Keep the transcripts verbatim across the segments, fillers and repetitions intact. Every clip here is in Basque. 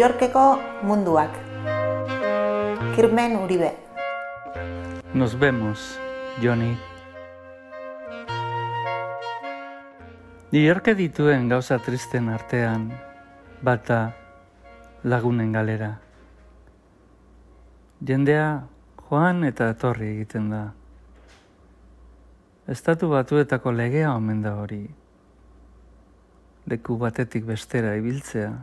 Yorkeko munduak. Kirmen Uribe. Nos vemos, Johnny. New York dituen gauza tristen artean, bata lagunen galera. Jendea joan eta etorri egiten da. Estatu Batuetako legea omen da hori. Leku batetik bestera ibiltzea.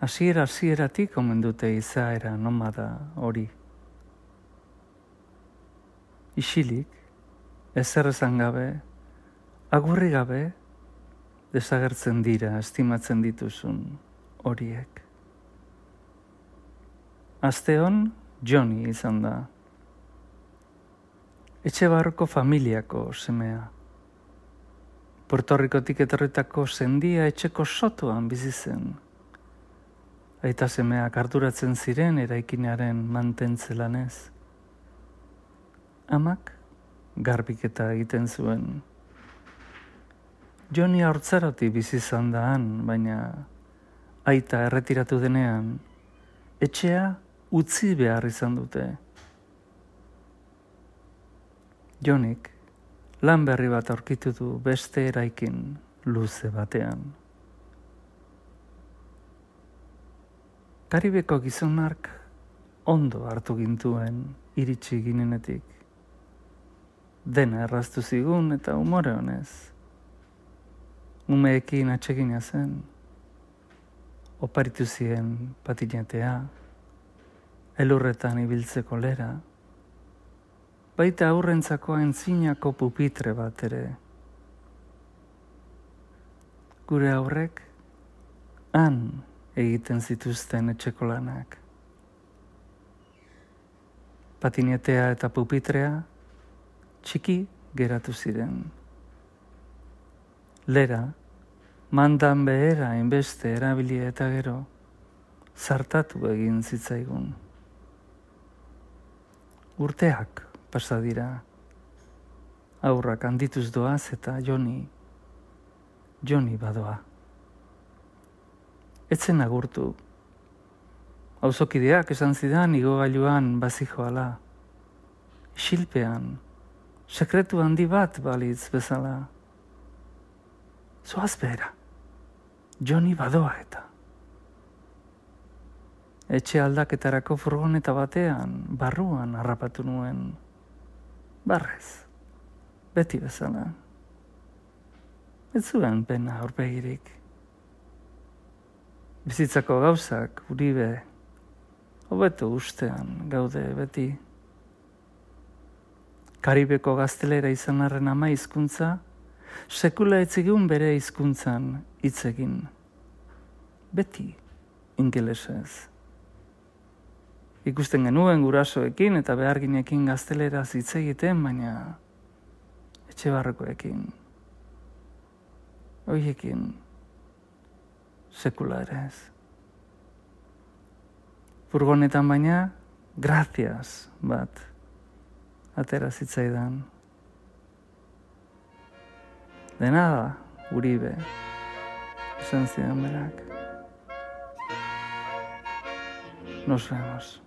Hasiera hasieratik omen dute izaera nomada hori. Isilik, ezer esan gabe, agurri gabe, desagertzen dira estimatzen dituzun horiek. Asteon Johnny izan da. Etxe barroko familiako semea. Puerto Rikotik etorritako sendia etxeko sotoan bizi zen. Aita semeak arduratzen ziren eraikinaren mantentze lanez. Amak garbiketa egiten zuen. Johnny haurtzarotik bizi izan da han, baina aita erretiratu denean, etxea utzi behar izan dute. Johnnyk lan berri bat aurkitu du beste eraikin luze batean. Karibeko gizonak ondo hartu gintuen iritsi ginenetik. Dena erraztu zigun eta umore honez. Umeekin atsegina zen. Oparitu zien patinetea, elurretan ibiltzeko lera, baita aurrentzako entzinako pupitre bat ere. Gure aurrek han egiten zituzten etxeko lanak. Patinetea eta pupitrea txiki geratu ziren. Lera, mandan behera hainbeste erabili eta gero, zartatu egin zitzaigun. Urteak pasa dira. Aurrak handituz doaz eta Johnny, Johnny badoa. Etzen agurtu. Auzokideak esan zidan igogailuan bazijoala. Isilpean, sekretu handi bat balitz bezala. Zoaz behera, Johnny badoa eta. Etxe aldaketarako furgoneta batean, barruan harrapatu nuen. Barrez, beti bezala. Ez zuen pena aurpegirik. Bizitzako gauzak, Uribe, hobeto ustean gaude beti. Karibeko gaztelera izan arren ama hizkuntza, sekula etzigun bere hizkuntzan hitz egin. Beti ingelesez. Ikusten genuen gurasoekin eta beharginekin gazteleraz hitz egiten, baina etxe barrokoekin. Horiekin sekula ere ez. Furgonetan baina, gracias bat atera zitzaidan. De nada, Uribe, esan zidan berak. Nos vemos.